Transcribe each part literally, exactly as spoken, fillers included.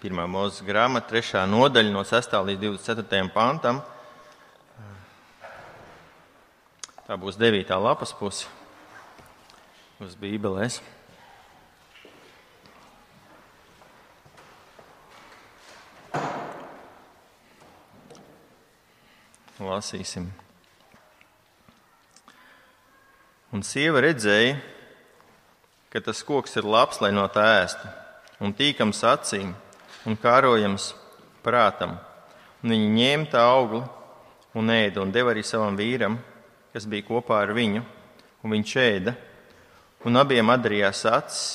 Pirmā Mūzes grāmata, trešā nodaļa no sestā līdz divdesmit ceturtajam pantam. Tā būs devītā lapas puse uz Bībelēs. Lasīsim. Un sieva redzēja, ka tas koks ir labs, lai no tā ēstu, un tīkams acīm, un kārojams prātam. Un viņa ņēma tā augli un ēda, un deva arī savam vīram, kas bija kopā ar viņu, un viņš ēda, un abiem atdarījās acis,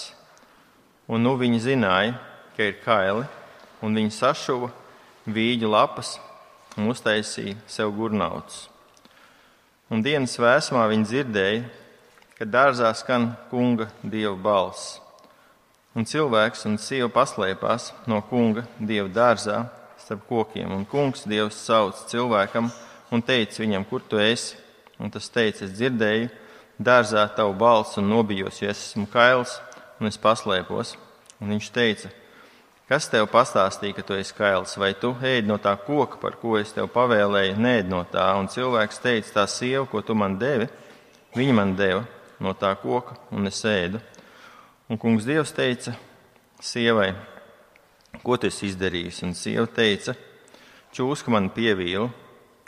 un nu viņi zināja, ka ir kaili, un viņi sašuva vīģu lapas un uztaisīja sev gurnautus. Un dienas vēsumā viņi dzirdēja, ka dārzā skan kunga dieva balss. Un cilvēks un sieva paslēpās no kunga dieva dārzā starp kokiem. Un kungs dievs sauc cilvēkam un teica viņam, kur tu esi? Un tas teica, es dzirdēju dārzā tavu balsi un nobijos, jo es esmu kails un es paslēpos. Un viņš teica, kas tev pastāstīja, ka tu esi kails? Vai tu ēd no tā koka, par ko es tev pavēlēju, neēd no tā? Un cilvēks teica, tā sieva, ko tu man devi, viņa man deva no tā koka un es ēdu. Un kungs dievs teica sievai, ko tu esi izdarījis? Un sieva teica, čūska man pievīla,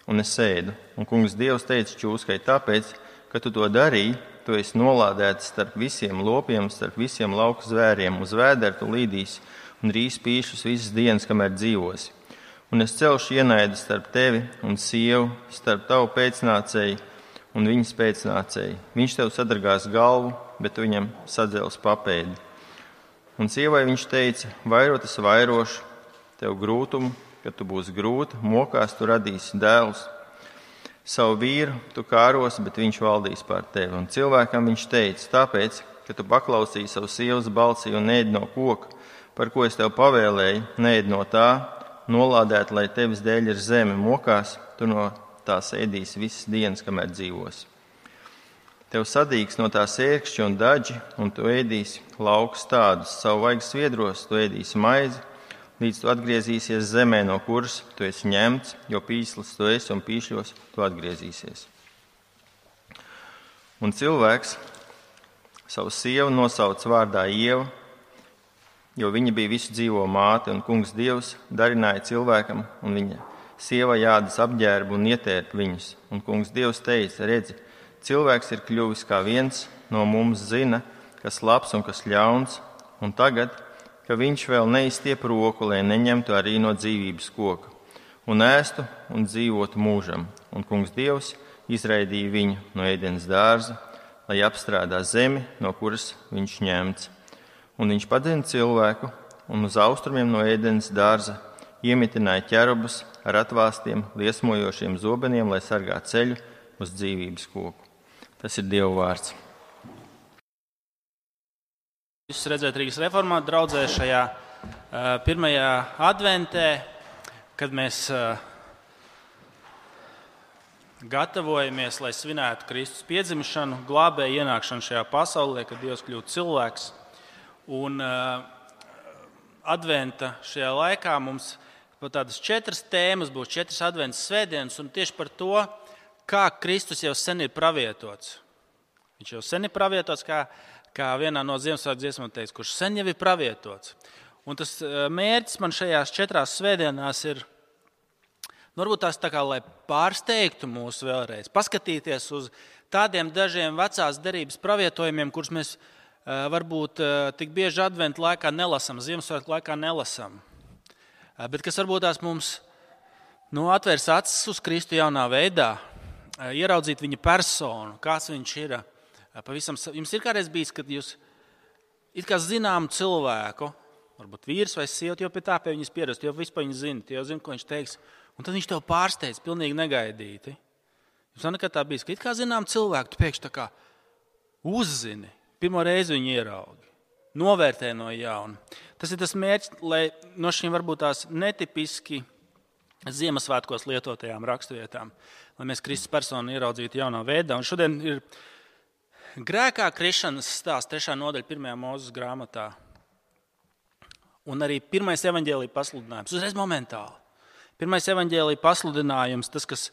un es ēdu. Un kungs dievs teica čūskai, tāpēc, ka tu to darīji, tu esi nolādēts starp visiem lopiem, starp visiem lauku zvēriem, uz vēderu tu līdīsi un rīs pīšus visas dienas, kamēr dzīvosi. Un es celšu ienaidu starp tevi un sievu, starp tavu pēcnācēju un viņas pēcnācēju. Viņš tev sadragās galvu, bet tu viņam sadzels papēdi. Un sievai viņš teica, vairot es vairošu tev grūtumu, kad tu būsi grūta, mokās tu radīsi dēlus. Savu vīru tu kāros, bet viņš valdīs pār tevi. Un cilvēkam viņš teica, tāpēc, ka tu paklausīji savu sievas balsī un neēd no koka, par ko es tev pavēlēju, neēd no tā, nolādēt, lai tevis dēļ ir zeme, mokās, tu no tās ēdīsi visas dienas, kamēr dzīvosi. Tev sadīgs no tās ērkšķi un daļi, un tu ēdīsi laukus tādus, savu vaigas sviedros, tu ēdīsi maizi, līdz tu atgriezīsies zemē, no kuras tu esi ņemts, jo pīslis tu esi un pīšļos tu atgriezīsies. Un cilvēks savu sievu nosauc vārdā Ieva, jo viņa bija visu dzīvo māte, un kungs dievs darināja cilvēkam, un viņa sieva jādas apģērbu un ietērp viņus. Un kungs dievs teica, redzi, cilvēks ir kļuvis kā viens no mums zina, kas labs un kas ļauns, un tagad, ka viņš vēl neizstiep roku, lai neņemtu arī no dzīvības koka, un ēstu un dzīvotu mūžam. Un kungs dievs izraidīja viņu no ēdienas dārza, lai apstrādā zemi, no kuras viņš ņemts. Un viņš padzina cilvēku, un uz austrumiem no ēdienas dārza iemitināja ķerubus ar atvāstiem, liesmojošiem zobeniem, lai sargā ceļu uz dzīvības koku. Tas ir Dieva vārds. Jūs redzat Rīgas reformātu draudzē šajā uh, pirmajā adventē, kad mēs uh, gatavojamies, lai svinētu Kristus piedzimšanu, glābēju ienākšanu šajā pasaulē, kad Dievs kļūst cilvēks. Un uh, adventa šajā laikā mums pat tādas četras tēmas būs, četras adventas svētdienas, un tieši par to, kā Kristus jau sen ir pravietots. Viņš jau sen ir pravietots, kā, kā vienā no Ziemassvētku dziesmām teiks, kurš sen jau ir pravietots. Un tas mērķis man šajās četrās svētdienās ir, nu, varbūt tās tā kā, lai pārsteigtu mūs vēlreiz, paskatīties uz tādiem dažiem vecās derības pravietojumiem, kurus mēs varbūt tik bieži adventu laikā nelasam, Ziemassvētku laikā nelasam. Bet kas varbūt tās mums nu, atvērs acis uz Kristu jaunā veidā, ieraudzīt viņa personu, kāds viņš ir. Pavisam, jums ir kādreiz bijis, kad jūs it kā zinām cilvēku, varbūt vīrs vai sieva, jau pie tā pie viņas pierast, jo vispār viņas zina, jau zina, ko viņš teiks, un tad viņš tev pārsteidz pilnīgi negaidīti. Jums nav nekad tā bijis, ka it kā zinām cilvēku, tu pēkšņi tā kā uzzini, pirmo reizi viņu ieraugi, novērtē no jauna. Tas ir tas mērķis, lai no šīm varbūt tās netipiski Ziemassvētkos lietotajām raksturvietām, lai mēs Kristus personu ieraudzītu jaunā veidā. Un šodien ir grēkā krišanas stāsts, trešā nodaļa pirmajā Mūzes grāmatā. Un arī pirmais evaņģēlija pasludinājums, uzreiz momentāli. Pirmais evaņģēlija pasludinājums, tas, kas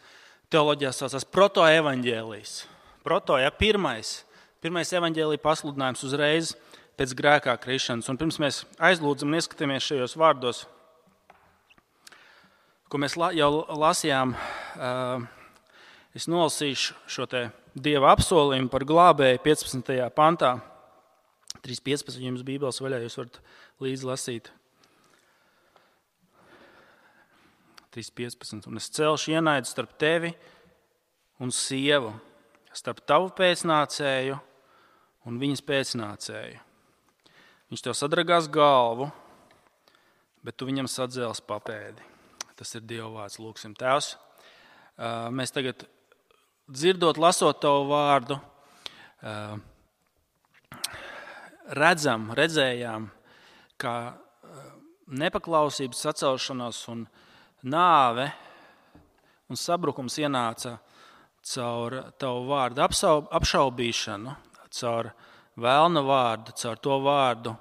teoloģijā saucās protoevaņģēlijs. Proto, ja, pirmais, pirmais evaņģēlija pasludinājums uzreiz pēc grēkā krišanas. Un pirms mēs aizlūdzam un ieskatāmies šajos vārdos, ko mēs jau lasījām, es nolasīšu šo te Dieva apsolījumu par glābēju piecpadsmitajā pantā. trīs piecpadsmit jums Bībeles vaļā, jūs varat līdzi lasīt. trīs piecpadsmit. Un es celšu ienaidu starp tevi un sievu, starp tavu pēcnācēju un viņas pēcnācēju. Viņš tev sadragās galvu, bet tu viņam sadzēls papēdi. Tas ir Dieva vārds, lūksim. Tēvs, mēs tagad dzirdot, lasot tavu vārdu, redzam, redzējām, kā nepaklausības sacelšanās un nāve un sabrukums ienāca caur tavu vārdu apšaubīšanu, caur vēlna vārdu, caur to vārdu,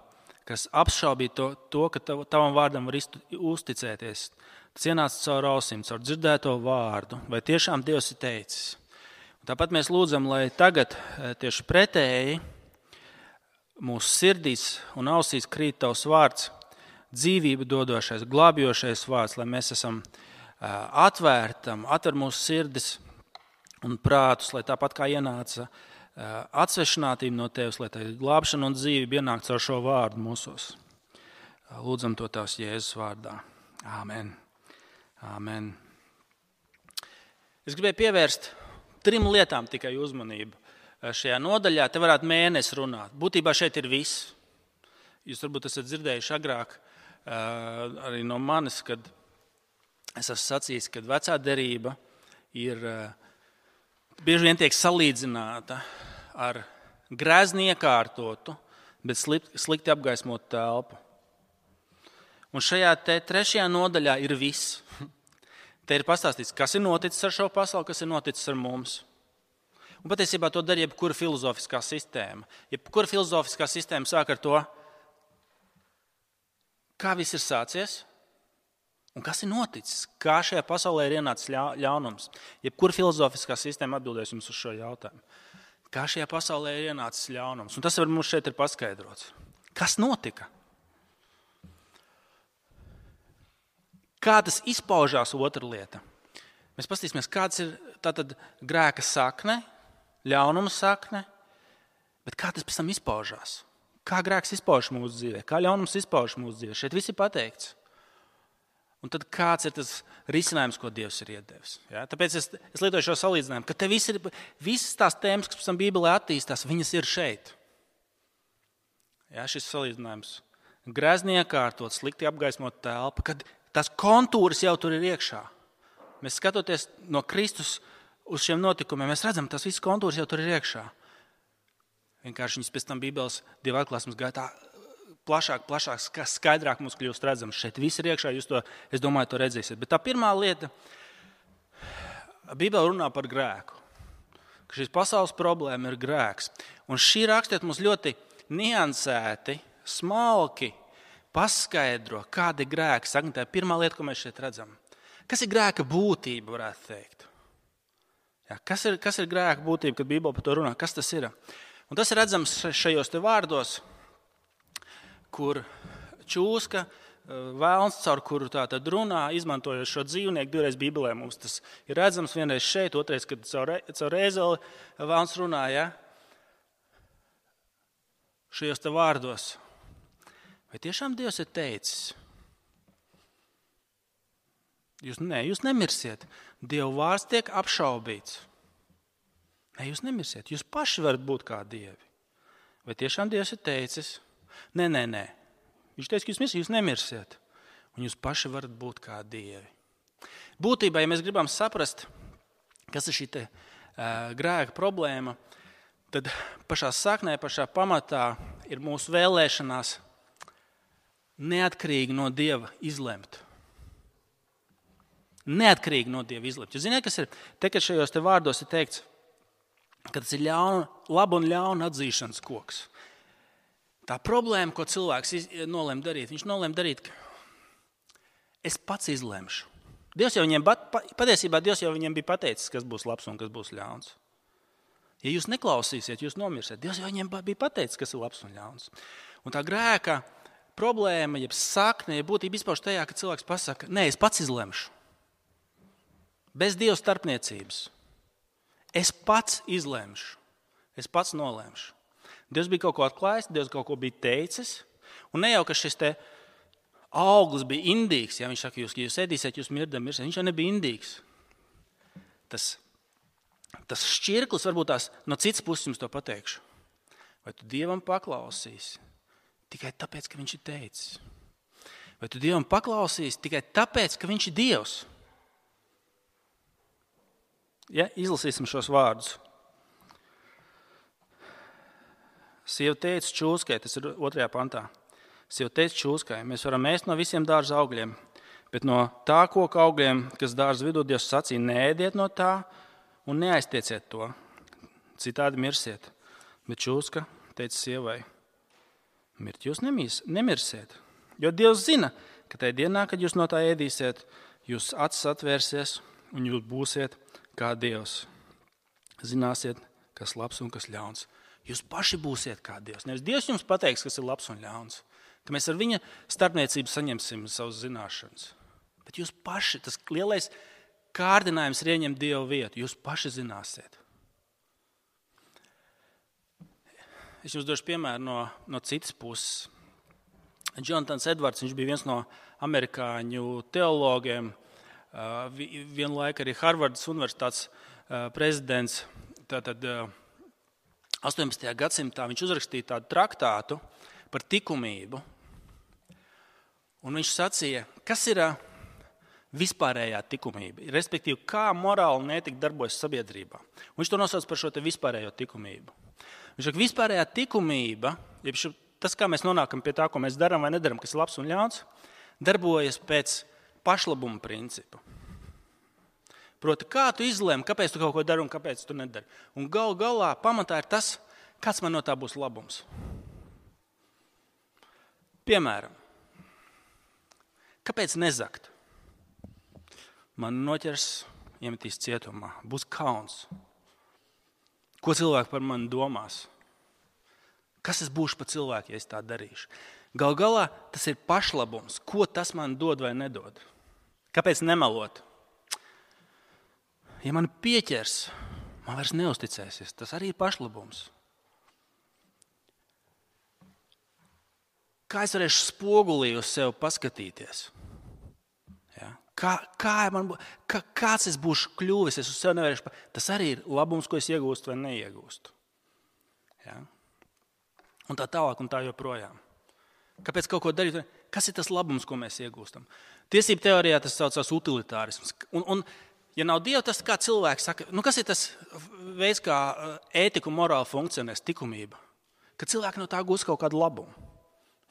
kas apšaubīja to, to ka tav, tavam vārdam var uzticēties. Tas ienāca caur ausīm, caur dzirdēto vārdu, vai tiešām Dievs ir teicis. Un tāpat mēs lūdzam, lai tagad tieši pretēji mūsu sirdīs un ausīs krīt tavs vārds, dzīvību dodošais, glābjošais vārds, lai mēs esam atvērtam, atver mūsu sirdis un prātus, lai tāpat kā ienāca atsvešinātība no tevis, lai tā glābšana un dzīvība ienāk caur šo vārdu mūsos. Lūdzam to tavs Jēzus vārdā. Āmen. Āmen. Es gribēju pievērst trim lietām tikai uzmanību šajā nodaļā. Te varētu mēnesi runāt. Būtībā šeit ir viss. Jūs varbūt esat dzirdējuši agrāk arī no manis, kad es esmu sacījis, ka vecā derība ir bieži vien tiek salīdzināta ar grezni iekārtotu, bet slikti apgaismotu telpu. Un šajā te trešajā nodaļā ir viss. Te ir pastāstīts, kas ir noticis ar šo pasauli, kas ir noticis ar mums. Un patiesībā to dara jebkura filozofiskā sistēma. Jebkura filozofiskā sistēma sāk ar to, kā viss ir sācies un kas ir noticis, kā šajā pasaulē ir ienācis ļaunums. Jebkura filozofiskā sistēma atbildēs jums uz šo jautājumu. Kā šajā pasaulē ir ienācis ļaunums. Un tas var mums šeit ir paskaidrots. Kas notika? Kā tas izpaužās, otra lieta? Mēs paskatīsimies, kāds ir tātad grēka sakne, ļaunuma sakne, bet kā tas pēc tam izpaužās? Kā grēks izpauž mūsu dzīvē? Kā ļaunums izpauž mūsu dzīvē? Šeit viss ir pateikts. Un tad kāds ir tas risinājums, ko Dievs ir iedevis? Ja? Tāpēc es, es lietoju šo salīdzinājumu, ka te viss ir, visas tās tēmas, kas pēc tam Bībelē attīstās, viņas ir šeit. Ja, šis salīdzinājums. Grezni iekārtot, slikti apgaismot telpa, kad tās kontūras jau tur ir iekšā. Mēs skatoties no Kristus uz šiem notikumiem, mēs redzam, tas viss kontūras jau tur ir iekšā. Vienkārši viņas pēc tam Bībeles Dieva atklāsmes gaitā plašāk, plašāk, skaidrāk mums kļūst redzams. Šeit viss ir iekšā, jūs to, es domāju, to redzēsiet. Bet tā pirmā lieta, Bībele runā par grēku. Ka šīs pasaules problēma ir grēks. Un šī rakstiet mums ļoti niansēti, smalki paskaidro, kāda ir grēka sakne. Tā ir pirmā lieta, ko mēs šeit redzam. Kas ir grēka būtība, varētu teikt? Jā, kas ir, kas ir grēka būtība, kad Bībele par to runā? Kas tas ir? Un tas ir redzams šajos te vārdos, kur čūska, vēlns, caur kuru tā tad runā, izmantojot šo dzīvnieku. Divreiz Bībelē mums tas ir redzams, vienreiz šeit, otrais, kad caur, caur ēzeli vēlns runā. Ja? Šajos te vārdos. Vai tiešām Dievs ir teicis? Jūs, ne, jūs nemirsiet. Dieva vārds tiek apšaubīts. Ne, jūs nemirsiet. Jūs paši varat būt kā dievi. Vai tiešām Dievs ir teicis? Nē, nē, nē. Viņš teica, ka jūs mirsiet, jūs nemirsiet. Un jūs paši varat būt kā dievi. Būtībā, ja mēs gribam saprast, kas ir šī te, uh, grēka problēma, tad pašā saknē, pašā pamatā ir mūsu vēlēšanās neatkarīgi no Dieva izlemt. Neatkarīgi no Dieva izlemt. Jūs zināt, kas ir? Te, kad šajos te vārdos ir teikts, ka tas ir ļauna, laba un ļauna atzīšanas koks. Tā problēma, ko cilvēks nolēma darīt, viņš nolēma darīt, ka es pats izlemšu. Dievs jau viņiem, patiesībā Dievs jau viņiem bija pateicis, kas būs labs un kas būs ļauns. Ja jūs neklausīsiet, jūs nomirsiet. Dievs jau viņiem bija pateicis, kas ir labs un ļauns. Un tā grēka problēma, jeb sakne, ja būtība izpauž tajā, ka cilvēks pasaka, nē, es pats izlemšu. Bez Dieva starpniecības. Es pats izlemšu. Es pats nolēmšu. Dievs bija kaut ko atklājis, Dievs kaut ko bija teicis. Un ne jau, ka šis te auglis bija indīgs. Ja viņš saka, jūs, ja jūs ēdīsiet, jūs mirdam, mirsiet. Viņš jau nebija indīgs. Tas, tas šķirklis, varbūt tās no citas puses jums to pateikšu. Vai tu Dievam paklausīsi tikai tāpēc, ka viņš ir teicis? Vai tu Dievam paklausīsi tikai tāpēc, ka viņš ir Dievs? Ja, izlasīsim šos vārdus. Sieva teica čūskai, tas ir otrajā pantā. Sieva teica čūskai, mēs varam ēst no visiem dārza augļiem, bet no tā koka augļiem, kas dārza vidū, Dievs sacīja, neēdiet no tā un neaiztieciet to. Citādi mirsiet. Bet čūska teica sievai, mirt jūs nemīs, nemirsiet. Jo Dievs zina, ka tajā dienā, kad jūs no tā ēdīsiet, jūs acis atvērsies un jūs būsiet kā Dievs. Zināsiet, kas labs un kas ļauns. Jūs paši būsiet kā Dievs. Nevis Dievs jums pateiks, kas ir labs un ļauns. Ka mēs ar viņa starpniecību saņemsim savas zināšanas. Bet jūs paši, tas lielais kārdinājums ir ieņemt Dievu vietu. Jūs paši zināsiet. Es jums došu piemēru no, no citas puses. Jonatans Edvards, viņš bija viens no amerikāņu teologiem, vienlaik arī Harvardas universitātes prezidents. Tātad astoņpadsmitajā gadsimtā viņš uzrakstīja tādu traktātu par likumību. Un viņš sacīja, kas ir vispārējā likumība, respektīvi, kā morāli netika darbojas sabiedrībā. Un viņš to nosauc par šo te vispārējo likumību. Viņš saka, vispārējā likumība, jeb tas, kā mēs nonākam pie tā, ko mēs darām vai nedaram, kas ir labs un ļauns, darbojas pēc pašlabuma principu. Proti, kā tu izlēmi, kāpēc tu kaut ko dari un kāpēc tu nedari. Un gal galā pamatā ir tas, kāds man no tā būs labums. Piemēram, kāpēc nezakt? Man noķers, iemetīs cietumā, būs kauns. Ko cilvēki par mani domās? Kas es būšu par cilvēku, ja es tā darīšu? Gal galā tas ir pašlabums. Ko tas man dod vai nedod? Kāpēc nemelot? Ja man pieķers, man vairs neusticēsies. Tas arī ir pašlabums. Kā es varēšu spogulī uz sevi paskatīties? Ja? Kā, kā man, kā, kāds es būšu kļuvis, es uz sevi nevarēšu. Tas arī ir labums, ko es iegūstu vai neiegūstu. Ja? Un tā tālāk un tā joprojām. Kāpēc kaut ko darīt? Kas ir tas labums, ko mēs iegūstam? Tiesību teorijā tas saucās utilitārisms. Un, un, ja nav Dieva, tas kā cilvēks saka, nu kas ir tas veids, kā ētika un morāla funkcionēs, likumība? Ka cilvēki no tā gūs kaut kādu labumu.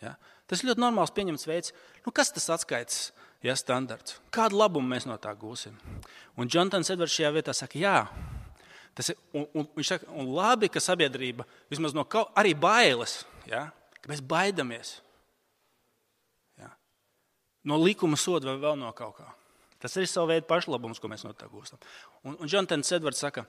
Ja? Tas ir ļoti normāls pieņemts veids. Nu, kas tas atskaites, ja, standarts? Kādu labumu mēs no tā gūsim? Un Jonatans Edvards šajā vietā saka, jā, tas ir, un, un, viņš saka, un labi, ka sabiedrība vismaz no kaut, arī bailes, ja, ka mēs baidamies. Ja, no likuma soda vai vēl no kaut kā. Tas ir savu veidu pašlabums, ko mēs no tā gūstam. Un, un Jonatans Edvards saka,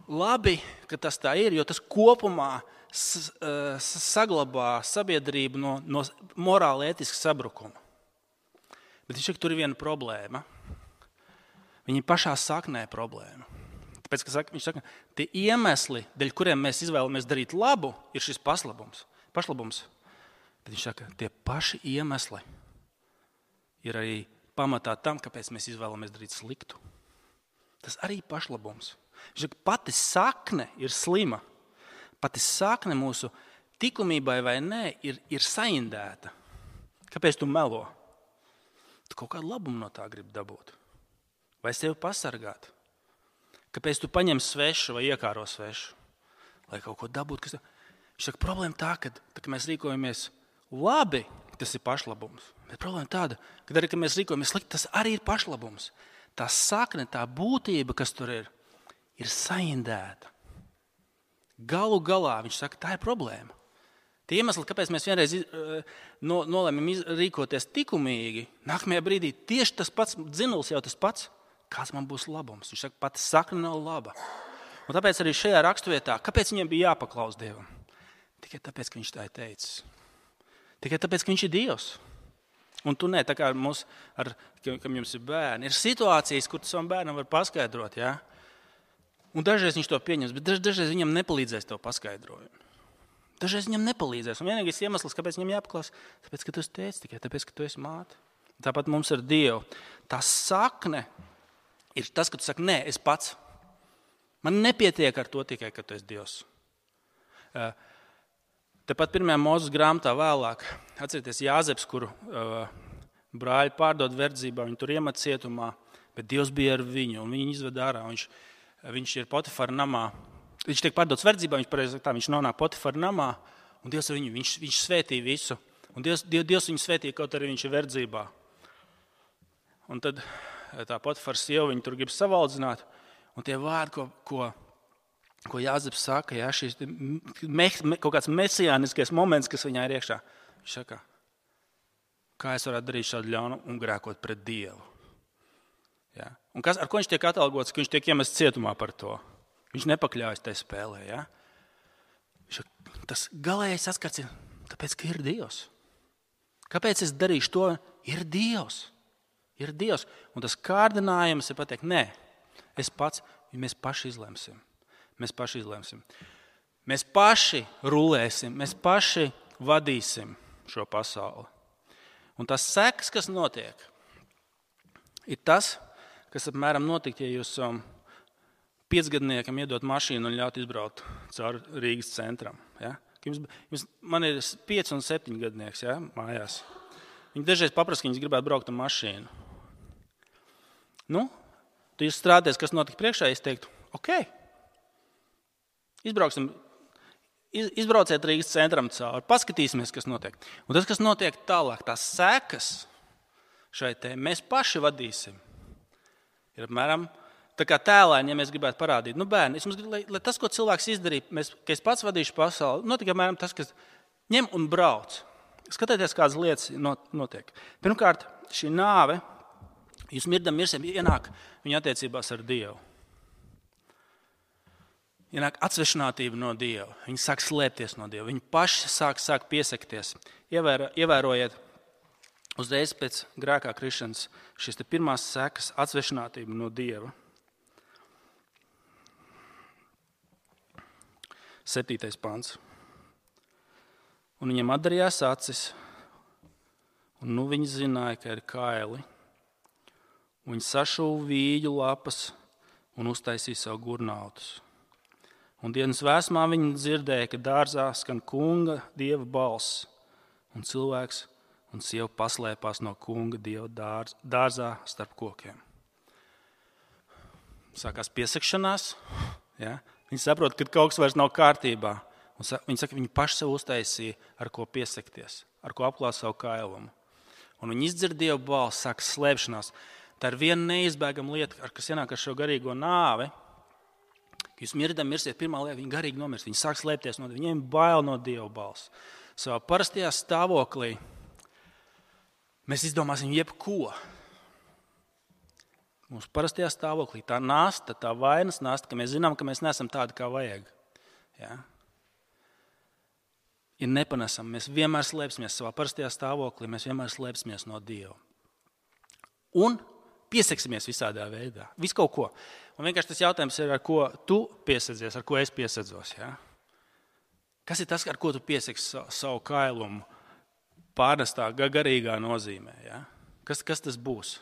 labi, ka tas tā ir, jo tas kopumā saglabā sabiedrību no, no morāli ētiska sabrukuma. Bet viņš saka, tur ir viena problēma. Viņa pašā saknē problēma. Tāpēc, ka saka, viņš saka, tie iemesli, dēļ kuriem mēs izvēlamies darīt labu, ir šis paslabums, pašlabums. Bet viņš saka, tie paši iemesli ir arī pamatā tam, kāpēc mēs izvēlamies darīt sliktu. Tas arī ir pašlabums. Viņš saka, pati sakne ir slima. Pati sakne mūsu likumībai vai nē ir, ir saindēta. Kāpēc tu melo? Tu kaut kādu labumu no tā gribi dabūt. Vai sevi pasargāt? Kāpēc tu paņem svešu vai iekāro svešu? Lai kaut ko dabūtu. Kas... Viņš saka, problēma tā, ka, tā, ka mēs rīkojamies labi, tas ir pašlabums. Bet problēma tāda, ka arī, ka mēs rīkojamies slikti, tas arī ir pašlabums. Tā sakne, tā būtība, kas tur ir, ir saindēta. Galu galā viņš saka, tā ir problēma. Tie iemesli, kāpēc mēs vienreiz no, nolēmām rīkoties likumīgi, nākamajā brīdī tieši tas pats dzinulis jau tas pats. Kāds man būs labums? Viņš saka, pati sakna nav laba. Un tāpēc arī šajā raksturvietā, kāpēc viņiem bija jāpaklaus Dievam? Tikai tāpēc, ka viņš tā ir teicis. Tikai tāpēc, ka viņš ir Dievs. Un tu ne, tā kā mums, ar, kam jums ir bērni, ir situācijas, kur tu savam bērnam var paskaidrot, ja? Un dažreiz viņš to pieņems, bet daž, dažreiz viņam nepalīdzēs to paskaidrojumu. Dažreiz viņam nepalīdzēs. Un vienīgais iemesls, kāpēc viņam jāpaklaus, tāpēc, ka tu esi tēvs, tikai tāpēc, ka tu esi māte. Tāpat mums ar Dievu. Tā sakne ir tas, ka tu saki, nē, es pats. Man nepietiek ar to tikai, ka tu esi Dievs. Tepat pirmajā Mūzes grāmatā vēlāk, atcerieties Jāzeps, kuru uh, brāļi pārdod verdzībā, viņu tur iemet cietumā, bet Dievs bija ar viņu, un viņu izved ārā. Viņš, viņš ir Potifara namā. Viņš tiek pārdots verdzībā, viņš, pareizi, tā, viņš nonāk Potifara namā, un Dievs ar viņu, viņš, viņš svētīja visu. Un Dievs, Dievs viņu svētīja, kaut arī viņš ir verdzībā. Un tad tā Potifara sieva viņu tur grib savaldzināt, un tie vārdi, ko, ko, ko Jāzeps saka, ja, šis me, me, kaut kāds mesijāniskais moments, kas viņā ir iekšā. Viņš saka, kā es varētu darīt šādu ļaunu un grēkot pret Dievu. Ja. Un kas, ar ko viņš tiek atalgots, ka viņš tiek iemests cietumā par to? Viņš nepakļaujas tai spēlē. Ja? Tas galējais saskats ir, tāpēc, ka ir Dievs. Kāpēc es darīšu to? Ir Dievs. Ir Dievs. Un tas kārdinājums ir pateikt, nē, es pats, mēs paši izlemsim. Mēs paši izlemsim. Mēs paši rulēsim, mēs paši vadīsim šo pasauli. Un tas sekas, kas notiek, ir tas, kas apmēram notikt, ja jūs um, piecgadniekam iedot mašīnu un ļaut izbraukt caur Rīgas centram. Ja? Jums, jums, man ir pieci un septiņi gadnieks, ja? Mājās. Viņi dažreiz paprasa, ka viņas gribētu braukt ar mašīnu. Nu, tu jūs strādāties, kas notika priekšā, es teiktu, ok, izbrauksim, iz, izbrauciet Rīgas centram cauri, paskatīsimies, kas notiek. Un tas, kas notiek tālāk, tās sekas šai te, mēs paši vadīsim. Ir apmēram tā kā tēlēni, ja mēs gribētu parādīt, nu bērni, es mums gribu, lai, lai tas, ko cilvēks izdarīja, mēs, ka es pats vadīšu pasauli, notika apmēram tas, kas ņem un brauc. Skatieties, kādas lietas notiek. Pirmkārt, šī nāve, jūs mirdam mirsim, ienāk viņa attiecībās ar Dievu. Ienāk atsvešinātība no Dieva. Viņi sāk slēpties no Dieva. Viņi paši sāk, sāk piesakties. Ievēro, ievērojiet, uzreiz pēc grēkā krišanas šīs te pirmās sekas atsvešinātība no Dieva. Septītais pants. Un viņam atdarījās acis, un nu viņi zināja, ka ir kaili. Un viņi sašuva vīģu lapas un uztaisīja savu gurnautus. Un dienas vēsmā viņi dzirdēja, ka dārzā skan kunga Dieva balss, un cilvēks un sieva paslēpās no kunga Dieva dārz, dārzā starp kokiem. Sākās piesakšanās, ja? Viņi saprot, ka kaut kas vairs nav kārtībā. Un viņi saka, viņi paši sev uztaisīja, ar ko piesakties, ar ko apklāt savu kailumu. Un viņi izdzird Dieva balsi, sākas slēpšanās. Tā ir viena neizbēgama lieta, ar kas ienāk ar šo garīgo nāvi. Ka jūs mirdam mirsiet, pirmā lieta, viņi garīgi nomirst. Viņi sāk slēpties no Dieva, viņiem bail no Dieva balsi. Savā parastajā stāvoklī mēs izdomāsim jebko. Mums parastajā stāvoklī tā nasta, tā vainas nasta, ka mēs zinām, ka mēs neesam tādi, kā vajag. Ja? Ir nepanesam. Mēs vienmēr slēpsimies savā parastajā stāvoklī, mēs vienmēr slēpsimies no Dieva. Un pieseksimies visādā veidā. Visu kaut ko. Un vienkārši tas jautājums ir, ar ko tu piesadzies, ar ko es piesadzos. Ja? Kas ir tas, ar ko tu piesaks savu kailumu pārnestā garīgā nozīmē? Ja? Kas, kas tas būs?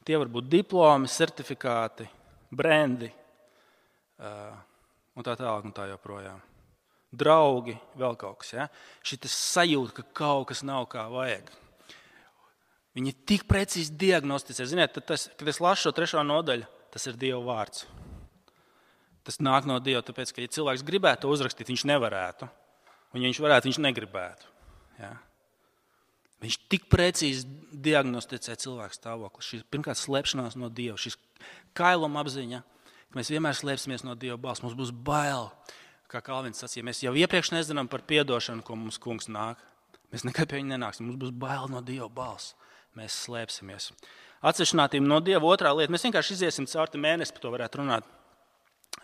Tie var būt diplomi, certifikāti, brendi uh, un tā tālāk un tā joprojām. Draugi, vēl kaut kas. Ja? Šitas sajūta, ka kaut kas nav kā vajag. Viņi tik precīzi diagnosticē. Ziniet, tas, kad es lasu šo trešo nodaļu, tas ir Dieva vārds. Tas nāk no Dieva, tāpēc, ka ja cilvēks gribētu to uzrakstīt, viņš nevarētu. Un ja viņš varētu, viņš negribētu. Ja? Viņš tik precīzi diagnosticē cilvēku stāvokli. Šī pirmkārt slēpšanās no Dieva, šis kailuma apziņa, ka mēs vienmēr slēpsimies no Dieva balss. Mums būs bail. kā Kalvins sacīja, mēs jau iepriekš nezinām par piedošanu, ko mums kungs nāk. Mēs nekad pie viņa nenāksim. Mums būs bail no Dieva balss. Mēs slēpsimies. Atsevišķinātība no Dieva otrā lieta. Mēs vienkārši iziesim cauri mēnesi, par to varētu runāt.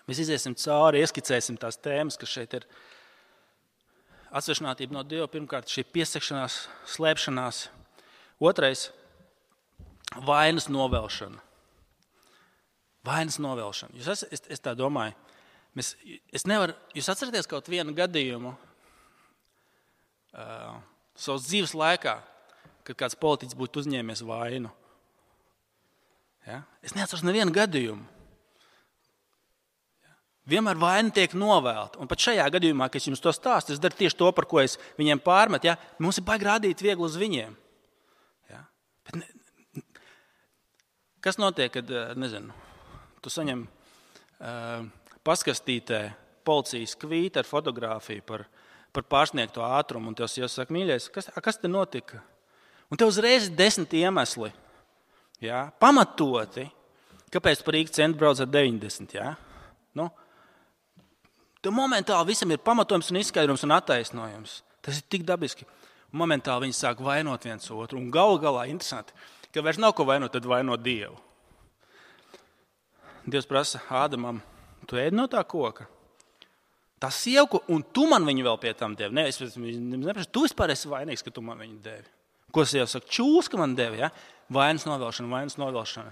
Mēs iziesim cauri, ieskicēsim tās tēmas, kas šeit ir. Atsevišķinātība no Dieva, pirmkārt, šī piesakšanās, slēpšanās. Otrais – vainas novelšana. Vainas novelšana. Jūs es, es, es tā domāju. Mēs, es nevaru, jūs atceraties kaut vienu gadījumu uh, savas dzīves laikā, kad kāds politiķis būtu uzņēmies vainu. Ja? Es neatceros nevienu gadījumu. Ja? Vienmēr vaina tiek novēlta. Un pat šajā gadījumā, kad es jums to stāstu, es daru tieši to, par ko es viņiem pārmetu. Ja? Mums ir baigi rādīt viegli uz viņiem. Ja? Bet ne, kas notiek, kad, nezinu, tu saņem uh, paskastītē policijas kvīti ar fotogrāfiju par, par pārsniegto ātrumu, un tev jāsaka, mīļais, kas, kas te notika? Un tev uzreiz ir desmit iemesli, ja? Pamatoti, kāpēc par Rīgas centru brauc ar deviņdesmit. Ja? Nu, tev momentāli visam ir pamatojums un izskaidrums un attaisnojums. Tas ir tik dabiski. Un momentāli viņi sāk vainot viens otru. Un galu galā interesanti, ka vairs nav ko vainot, tad vainot Dievu. Dievs prasa Ādamam, tu ēdi no tā koka? Tā sieva, un tu man viņu vēl pie tam devi. Ne, es neprasu, tu vispār esi vainīgs, ka tu man viņu devi. Ko sieva saka? Čūs, ka man devi. Ja? Vainas novelšana, vainas novelšana.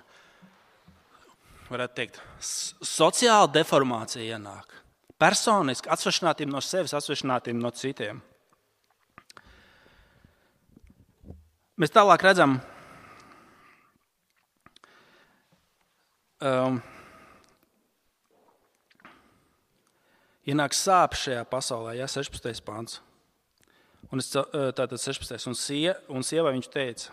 Varētu teikt, sociāla deformācija ienāk. Personiski atsvešinātība no sevis, atsvešinātība no citiem. Mēs tālāk redzam, um, ienāk sāpes šajā pasaulē, ja, sešpadsmitais pants. Un es, tātad sešpadsmitais Un, sie, un sievai viņš teica,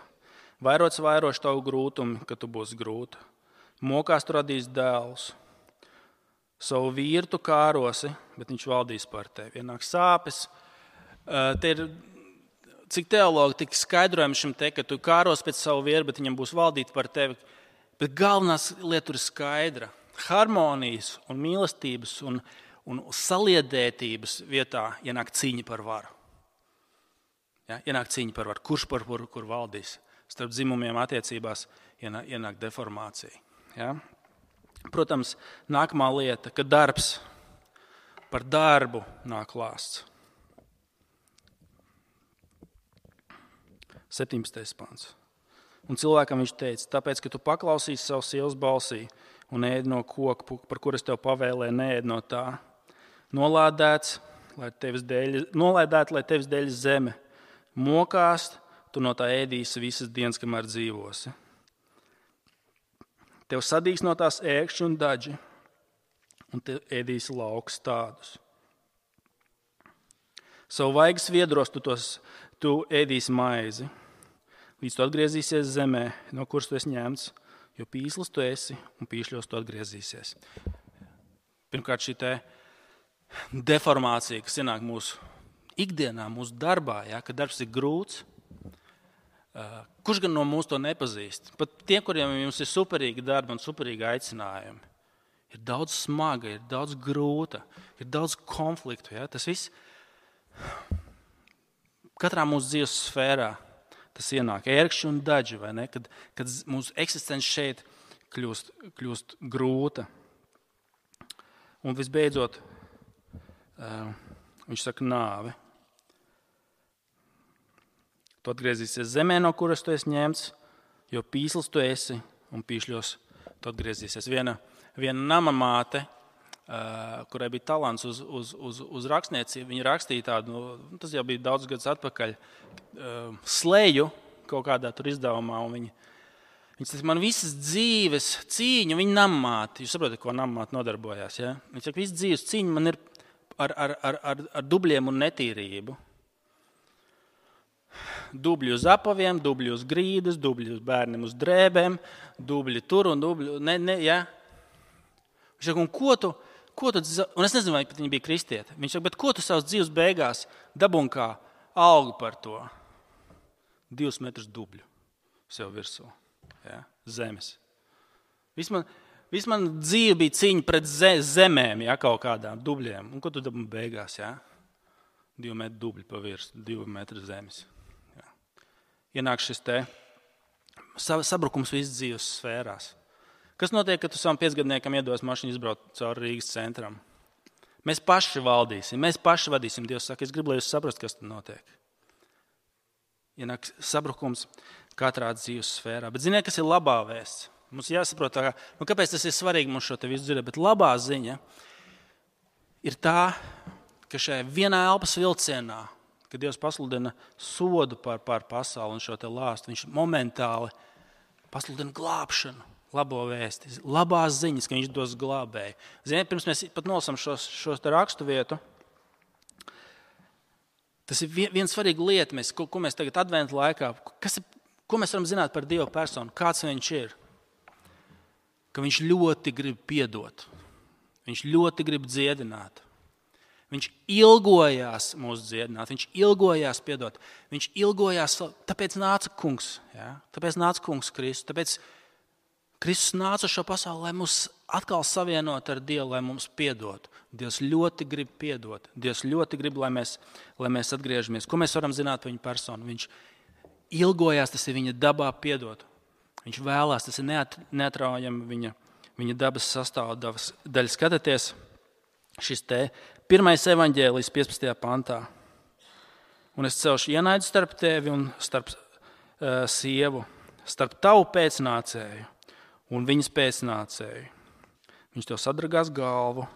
vairots vairoši tavu grūtumu, ka tu būsi grūta. Mokās tu radīs dēlus. Savu vīru tu kārosi, bet viņš valdīs par tevi. Ienāk sāpes. Te ir, cik teologi, tik skaidrojumi šim te, ka tu kāros pēc savu vīru, bet viņam būs valdīt par tevi. Bet galvenās lieta ir skaidra. Harmonijas un mīlestības un, un saliedētības vietā ienāk cīņa par varu. Ja, ienāk cīņa par varu. Kurš par varu, kur valdīs? Starp dzimumiem attiecībās ienāk, ienāk deformācija. Ja? Protams, nākamā lieta, ka darbs par darbu nāk lāsts. septiņpadsmitais pants. Un cilvēkam viņš teica, tāpēc, ka tu paklausīsi savu sievas balsī un ēdi no koka, par kur es tev pavēlēju, neēdi no tā. Nolādēts, lai tevis dēļ, nolādēt, lai tevis dēļ zeme. Mokās, tu no tā ēdīsi visas dienas, kamēr dzīvosi. Tev sadīs no tās ēkšķi un daži, un tev ēdīsi laukus tādus. Savu vaigas viedros tu, tos, tu ēdīsi maizi, līdz tu atgriezīsies zemē, no kuras tu esi ņemts, jo pīslis tu esi un pīšļos tu atgriezīsies. Pirmkārt, šī te deformācija, kas ienāk mūsu ikdienā, mūsu darbā, ja, ka darbs ir grūts, uh, kurš gan no mūs to nepazīst? Pat tie, kuriem jums ir superīgi darbi un superīgi aicinājumi, ir daudz smaga, ir daudz grūta, ir daudz konfliktu. Ja? Tas viss katrā mūsu dzīves sfērā tas ienāk ērkšķi un daži, vai ne? Kad, kad mūsu eksistence šeit kļūst, kļūst grūta. Un visbeidzot, uh, viņš saka nāve. Tu atgriezīsies zemē, no kuras tu esi ņemts, jo pīslis tu esi un pīšļos tu atgriezīsies. Viena, viena nama māte, uh, kurai bija talants uz, uz, uz, uz rakstniecību, viņa rakstīja tādu, nu, tas jau bija daudz gadus atpakaļ, uh, slēju kaut kādā tur izdevumā, un viņa, viņa saka, man visas dzīves cīņu, viņa nama māte, jūs saprotat, ko nama māte nodarbojās, ja? Viņa saka, visas dzīves cīņu man ir ar, ar, ar, ar, ar dubļiem un netīrību. Dubļi uz apaviem, dubļi uz grīdas, dubļi uz bērniem uz drēbēm, dubļi tur un dubļi, ne, ne, ja. Viņš saka, un ko tu, ko tu, un es nezinu, vai pat viņa bija kristiete. Viņš saka, bet ko tu savas dzīves beigās dabūn kā algu par to? Divus metrus dubļu sev virsū, ja, zemes. Viss man, Viss man dzīve bija cīņa pret zemēm, ja, kaut kādām dubļiem. Un ko tu dabūji beigās? Ja? Divu metru dubļi pa virsmu, divu metru zemes. Ja. Ienāk šis te sabrukums visas dzīves sfērās. Kas notiek, kad tu savam piecgadniekam iedos mašīnu izbraukt cauri Rīgas centram? Mēs paši valdīsim, mēs paši vadīsim. Dievs saka, es gribu, lai jūs saprast, kas tur notiek. Ienāk sabrukums katrā dzīves sfērā. Bet ziniet, kas ir labā vēsts? Mums jāsaprot, tā, nu, kāpēc tas ir svarīgi mums šo te visu dzirdēt, bet labā ziņa ir tā, ka šajā vienā elpas vilcienā, kad Dievs pasludina sodu par, par pasauli un šo te lāstu, viņš momentāli pasludina glābšanu, labo vēsti, labās ziņas, ka viņš dos glābēju. Ziniet, pirms mēs pat nolasam šos, šos te rakstu vietu, tas ir viena svarīga lieta, mēs, ko, ko mēs tagad adventu laikā, kas ir, ko mēs varam zināt par Dievu personu, kāds viņš ir. Ka viņš ļoti grib piedot. Viņš ļoti grib dziedināt. Viņš ilgojās mūs dziedināt. Viņš ilgojās piedot. Viņš ilgojās, tāpēc nāca kungs. Ja? Tāpēc nāca kungs Kristus. Tāpēc Kristus nāca uz šo pasauli, lai mūs atkal savienot ar Dievu, lai mums piedot. Dievs ļoti grib piedot. Dievs ļoti grib, lai mēs, lai mēs atgriežamies. Ko mēs varam zināt par viņu personu? Viņš ilgojās, tas ir viņa dabā piedot. Viņš vēlās, tas ir neat, neatraujami viņa, viņa dabas sastāvdaļas. Skatieties, šis te pirmais evaņģēlijs piecpadsmitajā pantā. Un es celšu ienaidu starp tevi un starp uh, sievu, starp tavu pēcnācēju un viņas pēcnācēju. Viņš tev sadragās galvu,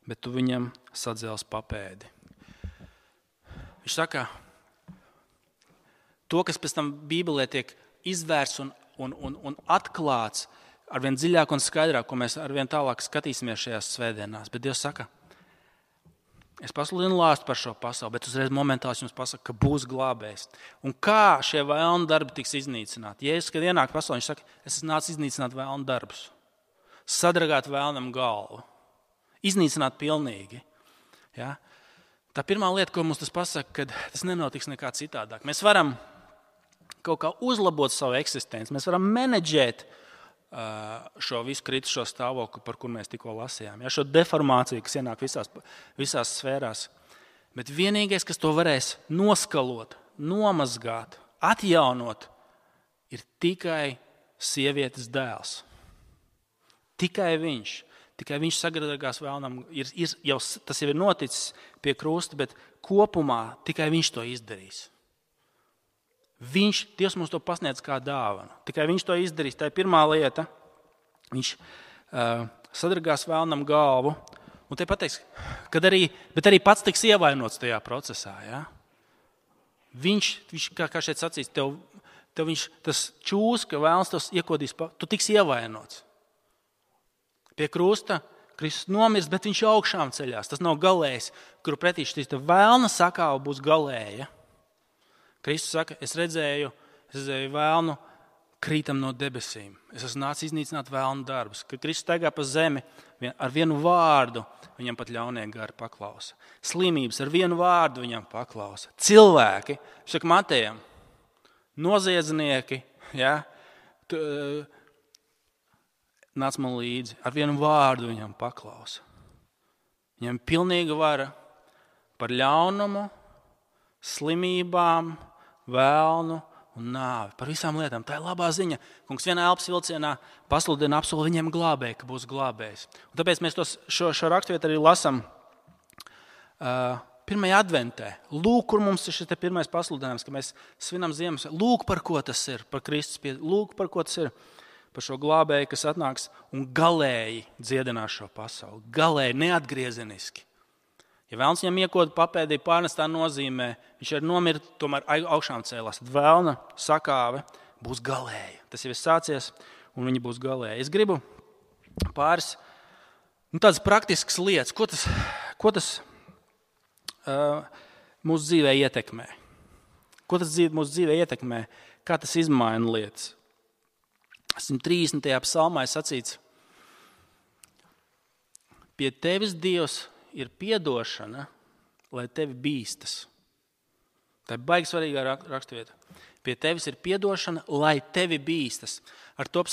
bet tu viņam sadzels papēdi. Viņš saka, to, kas pēc tam Bībelē tiek izvērsts un Un, un, un atklāts arvien dziļāk un skaidrāk, ko mēs arvien tālāk skatīsimies šajās svētdienās. Bet Dievs saka, es pasludinu lāstu par šo pasauli, bet uzreiz momentāli jums pasaka, ka būs glābējs. Un kā šie vēlni darbi tiks iznīcināti? Jēzus, kad ienāk pasaulē, viņš saka, es esmu nācis iznīcināt vēlni darbus, sadragāt vēlnam galvu, iznīcināt pilnīgi. Ja? Tā pirmā lieta, ko mums tas pasaka, kad tas nenotiks nekā citādāk. Mēs varam kaut kā uzlabot savu eksistenci. Mēs varam menedžēt uh, šo visu kritušo stāvokli, par kur mēs tikko lasījām. Ja, šo deformāciju, kas ienāk visās, visās sfērās. Bet vienīgais, kas to varēs noskalot, nomazgāt, atjaunot, ir tikai sievietes dēls. Tikai viņš. Tikai viņš sagradzās vēlnam. Ir, ir, jau, tas jau ir noticis pie krusta, bet kopumā tikai viņš to izdarīs. Viņš, Dievs mums to pasniedz kā dāvanu. Tikai viņš to izdarīs. Tā ir pirmā lieta. Viņš uh, sadragās vēlnam galvu. Un te pateiks, kad arī, bet arī pats tiks ievainots tajā procesā. Ja? Viņš, viņš, kā, kā šeit sacīs, tev, tev viņš, tas čūs, ka vēlns tos iekodīs, tu tiks ievainots. Pie krusta Kristus nomirs, bet viņš augšām ceļās. Tas nav galējs, kuru pretī šīs vēlna sakāva būs galēja. Kristus saka, es redzēju, es redzēju vēlnu krītam no debesīm. Es esmu nācis iznīcināt vēlnu darbus. Kad Kristus staigā pa zemi, ar vienu vārdu viņam pat ļaunie gari paklausa. Slimības ar vienu vārdu viņam paklausa. Cilvēki, saka Matejam, noziedznieki, ja, tu, nāc man līdzi, ar vienu vārdu viņam paklausa. Viņam pilnīga vara par ļaunumu, slimībām, vēlnu un nāvi. Par visām lietām. Tā ir labā ziņa. Kungs vienā elpas vilcienā pasludina apsolu viņiem glābēju, ka būs glābējs. Un tāpēc mēs tos, šo, šo raksturvietu arī lasam uh, pirmajā adventē. Lūk, kur mums ir šis pirmais pasludinājums, ka mēs svinam ziemas. Lūk, par ko tas ir, par Kristus pie. Lūk, par ko tas ir, par šo glābēju, kas atnāks un galēji dziedinās šo pasauli. Galēji, neatgriezeniski. Ja vēlns viņam iekoda papēdī pārnestā nozīmē, viņš ir nomirt, tomēr augšām cēlās. Tad vēlna sakāve būs galēja. Tas jau ir sācies, un viņa būs galēja. Es gribu pāris nu, tādas praktiskas lietas, ko tas, ko tas uh, mūsu dzīvē ietekmē. Ko tas dzīve, mūsu dzīvē ietekmē, kā tas izmaina lietas. simt trīsdesmitajā psalmā ir sacīts, pie tevis Dievs ir piedošana, lai tevi bīstas. Tā ir baigi svarīgā raksturvieta. Pie tevis ir piedošana, lai tevi bīstas. Ar to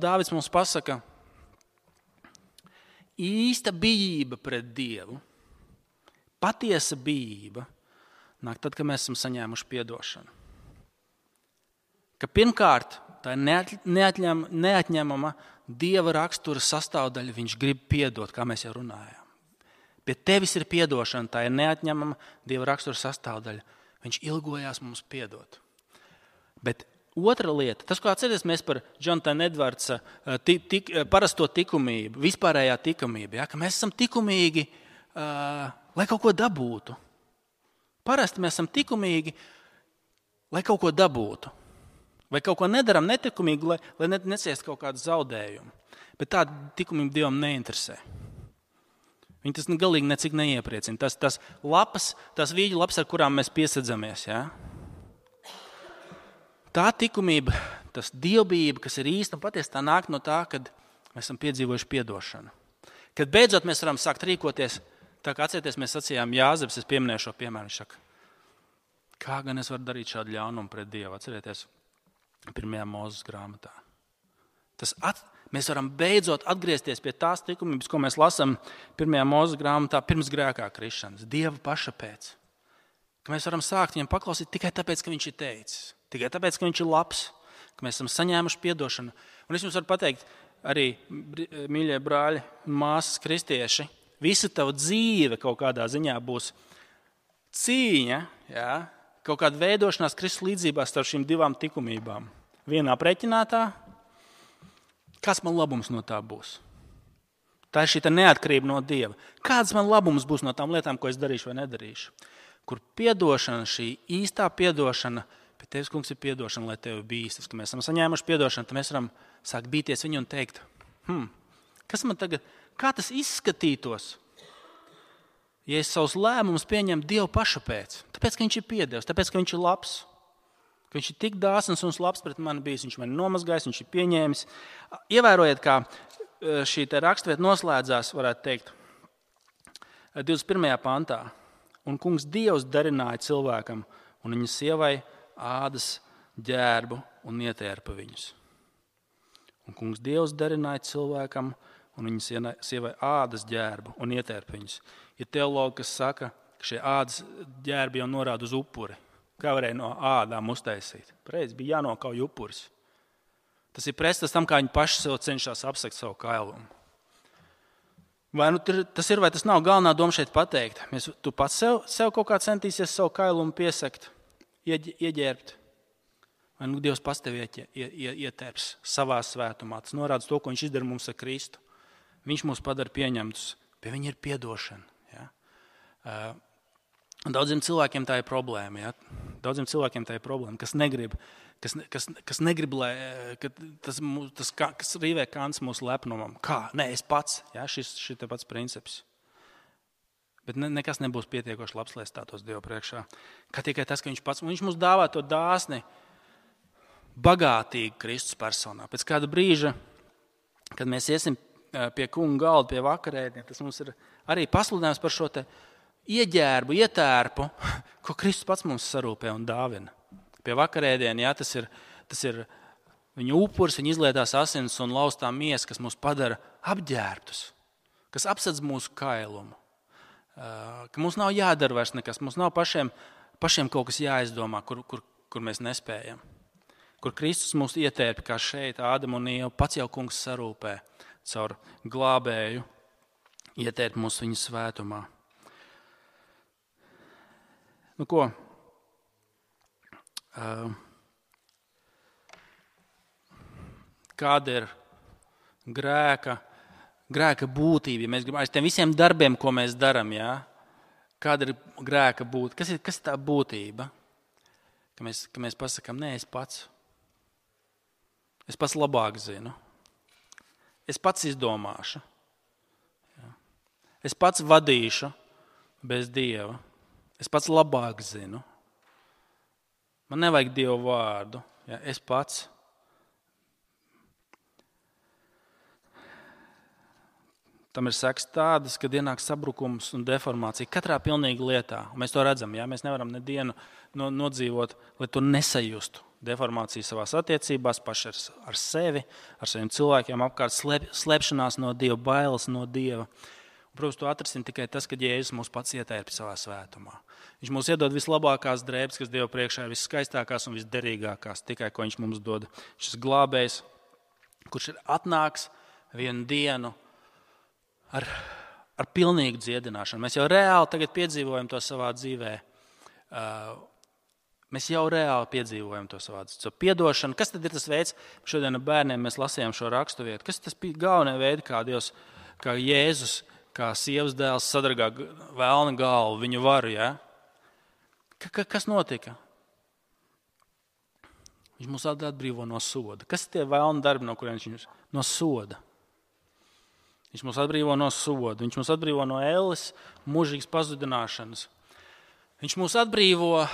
Dāvids mums pasaka, īsta bijība pret Dievu, patiesa bijība, nāk tad, kad mēs esam saņēmuši piedošanu. Ka pirmkārt, tā ir neatņem, neatņemama Dieva rakstura sastāvdaļa, viņš grib piedot, kā mēs jau runājām. Pie tevis ir piedošana, tā ir neatņemama Dieva rakstura sastāvdaļa. Viņš ilgojās mums piedot. Bet otra lieta, tas, ko atceries mēs par Jonatana Edvardsa tik, tik, parasto tikumību, vispārējā tikumība, ja, ka mēs esam tikumīgi, uh, lai kaut ko dabūtu. Parasti mēs esam tikumīgi, lai kaut ko dabūtu. Vai kaut ko nedaram netikumīgi, lai, lai neciest kaut kādu zaudējumu. Bet tāda tikumība Dievam neinteresē. Viņi tas galīgi necik neiepriecina. Tas, tas lapas, tas vīģu lapas, ar kurām mēs piesedzamies. Ja? Tā tikumība, tas dievbijība, kas ir īsta un patiesa, tā nāk no tā, kad mēs esam piedzīvojuši piedošanu. Kad beidzot mēs varam sākt rīkoties, tā kā atcerieties, mēs sacījām Jāzeps, es pieminēju šo piemēru, viņš saka, kā gan es varu darīt šādu ļaunumu pret Dievu, atcerieties, pirmajā Mūzes grāmatā. Tas at, mēs varam beidzot atgriezties pie tās likumības, ko mēs lasām pirmajā Mūzes grāmatā pirms grēkā krišanas. Dieva paša pēc. Ka mēs varam sākt viņam paklausīt tikai tāpēc, ka viņš ir teicis. Tikai tāpēc, ka viņš ir labs. Ka mēs esam saņēmuši piedošanu. Un es jums varu pateikt, arī mīļie brāļi un māsas kristieši, visa tava dzīve kaut kādā ziņā būs cīņa, jā, kaut kāda veidošanās Kristus līdzībā starp šīm divām tikumībām. Vienā preķinātā, kāds man labums no tā būs? Tā ir šī neatkarība no Dieva. Kāds man labums būs no tām lietām, ko es darīšu vai nedarīšu? Kur piedošana, šī īstā piedošana, pie tevis, kungs, ir piedošana, lai tevi bīstas. Kad mēs esam saņēmuši piedošanu, tad mēs varam sākt bīties viņu un teikt, hm, kas man tagad, kā tas izskatītos, ja es savus lēmumus pieņemu Dievu paša pēc? Tāpēc, ka viņš ir piedevis, tāpēc, ka viņš ir labs. Ka viņš ir tik dāsns un labs pret mani bijis, viņš mani nomazgājis, viņš ir pieņēmis. Ievērojiet, kā šī rakstvieta noslēdzās, varētu teikt, divdesmit pirmajā pantā. Un kungs Dievs darināja cilvēkam un viņa sievai ādas ģērbu un ietērpa viņus. Un kungs Dievs darināja cilvēkam un viņa sievai ādas ģērbu un ietērpa viņus. Ir teologi, kas saka, ka šie ādas ģērbi jau norāda uz upuri. Kā varēja no ādām uztaisīt? Pareizi, bija jānokauj upuris. Tas ir prestas tam, kā viņi paši sev cenšas apsegt savu kailumu. Vai nu tas ir, vai tas nav galvenā doma šeit pateikt? Mēs, tu pats sev, sev kaut kā centīsies savu kailumu piesekt, ieģērbt. Vai nu Dievs pats tevi ietērps savā svētumā. Tas norāda to, ko viņš izdara mums ar Kristu. Viņš mūs padara pieņemtus. Pie viņa ir piedošana. Ja? Uh, Daudziem cilvēkiem tā ir problēma. Ja? Daudziem cilvēkiem tā ir problēma, kas negrib, kas, kas, kas negrib, lai ka tas, tas, kas rīvē kāns mūsu lepnumam. Kā? Nē, es pats. Ja? Šis ir pats princips. Bet ne, nekas nebūs pietiekoši labs, lai stātos Dievu priekšā. Kā tikai tas, ka viņš pats, viņš mums dāvā to dāsni bagātīgi Kristus personā. Pēc kāda brīža, kad mēs iesim pie kunga galda, pie vakarēdiena, tas mums ir arī pasludinājums par šo te ieģērbu, ietērpu, ko Kristus pats mums sarūpē un dāvina. Pie vakarēdiena, jā, tas ir, tas ir viņa upuris, viņa izlietās asins un laustā miesa, kas mūs padara apģērbtus, kas apsedz mūsu kailumu, ka mums nav jādara vairs nekas, mums nav pašiem, pašiem kaut kas jāizdomā, kur, kur, kur mēs nespējam. Kur Kristus mūs ietērpi, kā šeit, Ādam un Ieva, pats jau kungs sarūpē caur glābēju, ietērpi mūs viņa svētumā. Nu ko? Uh, kāda ir grēka, grēka būtība? Ja mēs gribam, aiz tiem visiem darbiem, ko mēs darām, ja? Kāda ir grēka būtība? Kas ir, kas ir tā būtība? Ka mēs, ka mēs pasakām, nē, es pats. Es pats labāk zinu. Es pats izdomāšu. Ja? Es pats vadīšu bez Dieva. Es pats labāk zinu. Man nevajag Dieva vārdu. Ja, es pats. Tam ir sekas tādas, kad ienāk sabrukums un deformācija katrā pilnīgi lietā. Un mēs to redzam. Ja? Mēs nevaram nedienu nodzīvot, lai to nesajustu. deformācijas savās attiecībās, paši ar, ar sevi, ar saviem cilvēkiem apkārt, slēp, slēpšanās no Dieva, bailes no Dieva. Un, protams, to atrisin tikai tas, kad Jēzus mūs pats ietērpj savā svētumā. Viņš mums iedod vislabākās drēbes, kas Dieva priekšā ir viskaistākās un visderīgākās, tikai ko viņš mums dod. Šis glābējs, kurš ir atnāks vienu dienu ar, ar pilnīgu dziedināšanu. Mēs jau reāli tagad piedzīvojam to savā dzīvē. Uh, Mēs jau reāli piedzīvojam to savā dzīvē. Piedošanu. Kas tad ir tas veids? Šodien ar bērniem mēs lasījām šo rakstu vietu. Kas tas bija galvenais veids, kā Dievs, kā Jēzus, kā sievas dēls sadragā vēlna galvu, viņu varu, ja? Ka, kas notika? Viņš mūs atbrīvo no soda. Kas ir tie vēlna darbi, no kuriem viņš no soda? Viņš mūs atbrīvo no soda. Viņš mūs atbrīvo no elles, mūžīgas pazudināšanas. Viņš mūs atbrīvo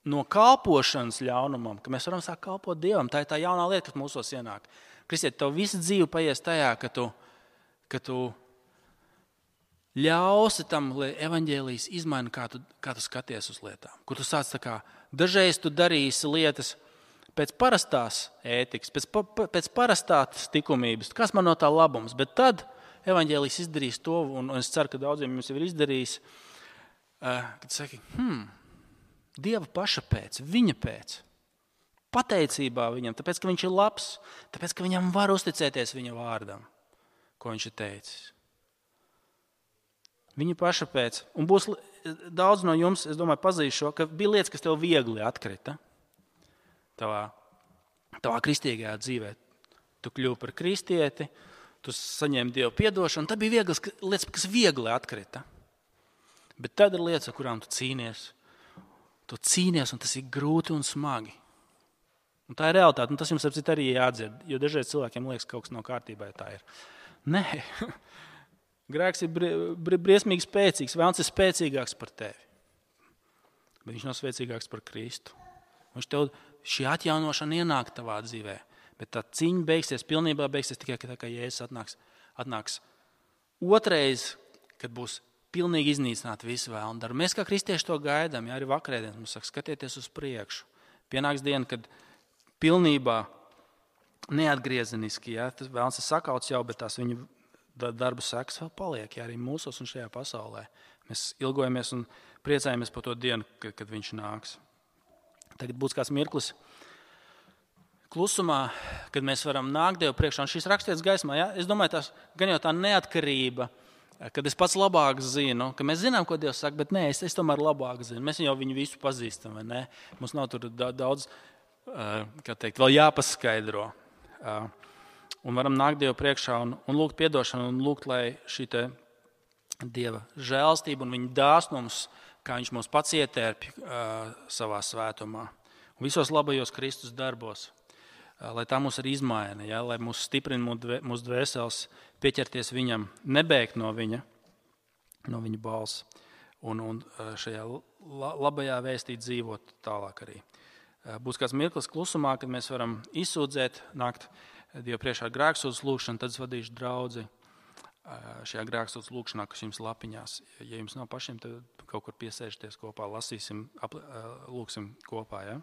no kalpošanas ļaunumam, ka mēs varam sākt kalpot Dievam. Tā ir tā jaunā lieta, kas mūsos ienāk. Kristiet, tev visa dzīve paies tajā, ka tu, ka tu ļausi tam, lai evaņģēlijs izmaina, kā tu, kā tu skaties uz lietām. Kur tu sāc tā kā, dažreiz tu darīsi lietas pēc parastās ētikas, pēc, pa, pēc parastās likumības, kas man no tā labums, bet tad evaņģēlijs izdarīs to, un, un es ceru, ka daudziem jums jau ir izdarījis, uh, kad saki, hmm, Dieva paša pēc, viņa pēc, pateicībā viņam, tāpēc, ka viņš ir labs, tāpēc, ka viņam var uzticēties viņa vārdam, ko viņš ir teicis. Viņa paša pēc. Un būs daudz no jums, es domāju, pazīst šo, ka bija lietas, kas tev viegli atkrita tavā, tavā kristīgajā dzīvē. Tu kļuvi par kristieti, tu saņēmi Dievu piedošanu, tad bija vieglas lietas, kas viegli atkrita. Bet tad ir lietas, ar kurām tu cīnies. Tu cīnies, un tas ir grūti un smagi. Un tā ir realitāte, un tas jums arī jāatdzird, jo dažreiz cilvēkiem liekas, ka kaut kas nav kārtībā, ja tā ir. Nē, grēks ir bri, briesmīgi spēcīgs, vēlns ir spēcīgāks par tevi. Bet viņš nav spēcīgāks par Kristu. Viņš tev šī atjaunošana ienāk tavā dzīvē, bet tā cīņa beigsies, pilnībā beigsies tikai, tā, ka Jēzus atnāks, atnāks otrais, kad būs pilnīgi iznīcināt visu vēlnu darbu. Mēs kā kristieši to gaidām, ja arī vakarēdien mums saka, skatieties uz priekšu. Pienāks diena, kad pilnībā neatgriezeniski, ja, tas vēlns ir sakauts jau, bet tās viņa darba sekas vēl paliek, ja arī mūsos un šajā pasaulē. Mēs ilgojamies un priecājamies par to dienu, kad, kad viņš nāks. Tagad būs kāds mirklis klusumā, kad mēs varam nākt Dievu priekšā. Un šīs rakstietas gaismā, ja, es domāju, tās, gan jau tā neatkarība, kad es pats labāk zinu, ka mēs zinām, ko Dievs saka, bet nē, es, es tomēr labāk zinu. Mēs jau viņu visu pazīstam, vai ne? Mums nav tur daudz, kā teikt, vēl jāpaskaidro. Un varam nākt Dievu priekšā un, un lūgt piedošanu un lūgt, lai šī te Dieva žēlstība un viņa dāsnums, kā viņš mūs pats ietērpj savā svētumā. Un visos labajos Kristus darbos, lai tā mūs arī izmaina, ja? Lai mūs stiprina mūsu dvēseles, pieķerties viņam, nebēgt no viņa, no viņa balss un, un šajā labajā vēstī dzīvot tālāk arī. Būs kāds mirklis klusumā, kad mēs varam izsūdzēt, nākt Dievu priekšā ar grēksūdzes lūgšanu, tad es vadīšu draudzi šajā grēksūdzes lūgšanā, kas jums lapiņās. Ja jums nav pašiem, tad kaut kur piesēžties kopā, lasīsim, lūgsim kopā, ja?